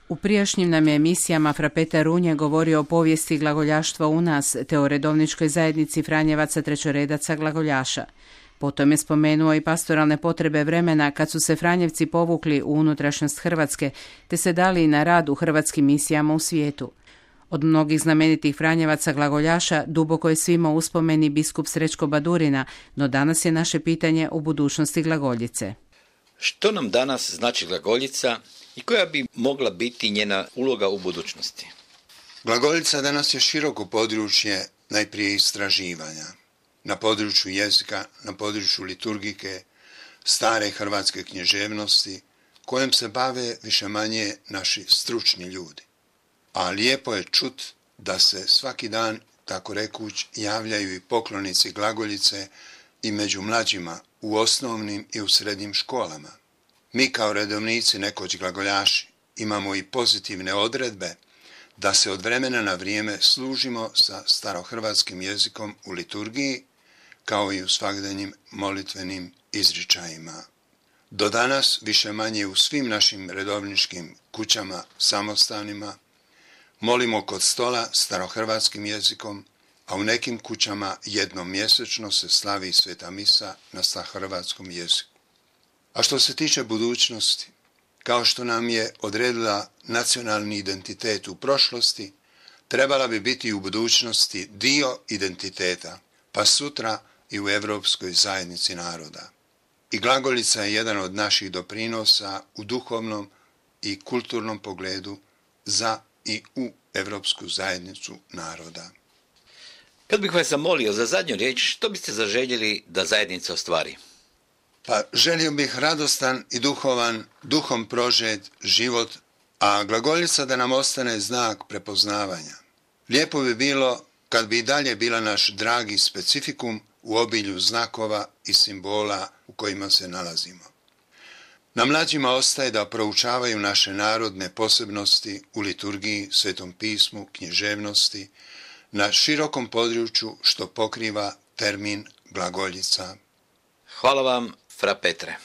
U prijašnjim nam je emisijama Fra Petar Runje govorio o povijesti glagoljaštva u nas, te o redovničkoj zajednici Franjevaca trećoredaca glagoljaša. Potom je spomenuo i pastoralne potrebe vremena kad su se Franjevci povukli u unutrašnjost Hrvatske, te se dali na rad u hrvatskim misijama u svijetu. Od mnogih znamenitih Franjevaca glagoljaša duboko je svima uspomeni biskup Srećko Badurina, no danas je naše pitanje o budućnosti glagoljice. Što nam danas znači glagoljica i koja bi mogla biti njena uloga u budućnosti? Glagoljica danas je široko područje najprije istraživanja. Na području jezika, na području liturgike, stare hrvatske književnosti, kojom se bave više-manje naši stručni ljudi. A lijepo je čut da se svaki dan, tako rekuć, javljaju i poklonici glagoljice i među mlađima u osnovnim i u srednjim školama. Mi kao redovnici, nekoć glagoljaši, imamo i pozitivne odredbe da se od vremena na vrijeme služimo sa starohrvatskim jezikom u liturgiji, kao i u svakdanjim molitvenim izričajima. Do danas, više-manje u svim našim redovničkim kućama, samostanima, molimo kod stola starohrvatskim jezikom, a u nekim kućama jednom mjesečno se slavi sveta misa na starohrvatskom jeziku. A što se tiče budućnosti, kao što nam je odredila nacionalni identitet u prošlosti, trebala bi biti u budućnosti dio identiteta, pa sutra i u Europskoj zajednici naroda. I glagoljica je jedan od naših doprinosa u duhovnom i kulturnom pogledu za i u Europsku zajednicu naroda. Kad bih vas zamolio za zadnju riječ, što biste zaželjeli da zajednica ostvari? Pa želio bih radostan i duhovan, duhom prožet život, a glagoljica da nam ostane znak prepoznavanja. Lijepo bi bilo kad bi i dalje bila naš dragi specifikum u obilju znakova i simbola u kojima se nalazimo. Na mlađima ostaje da proučavaju naše narodne posebnosti u liturgiji, Svetom pismu, književnosti, na širokom području što pokriva termin glagoljica. Hvala vam, fra Petre.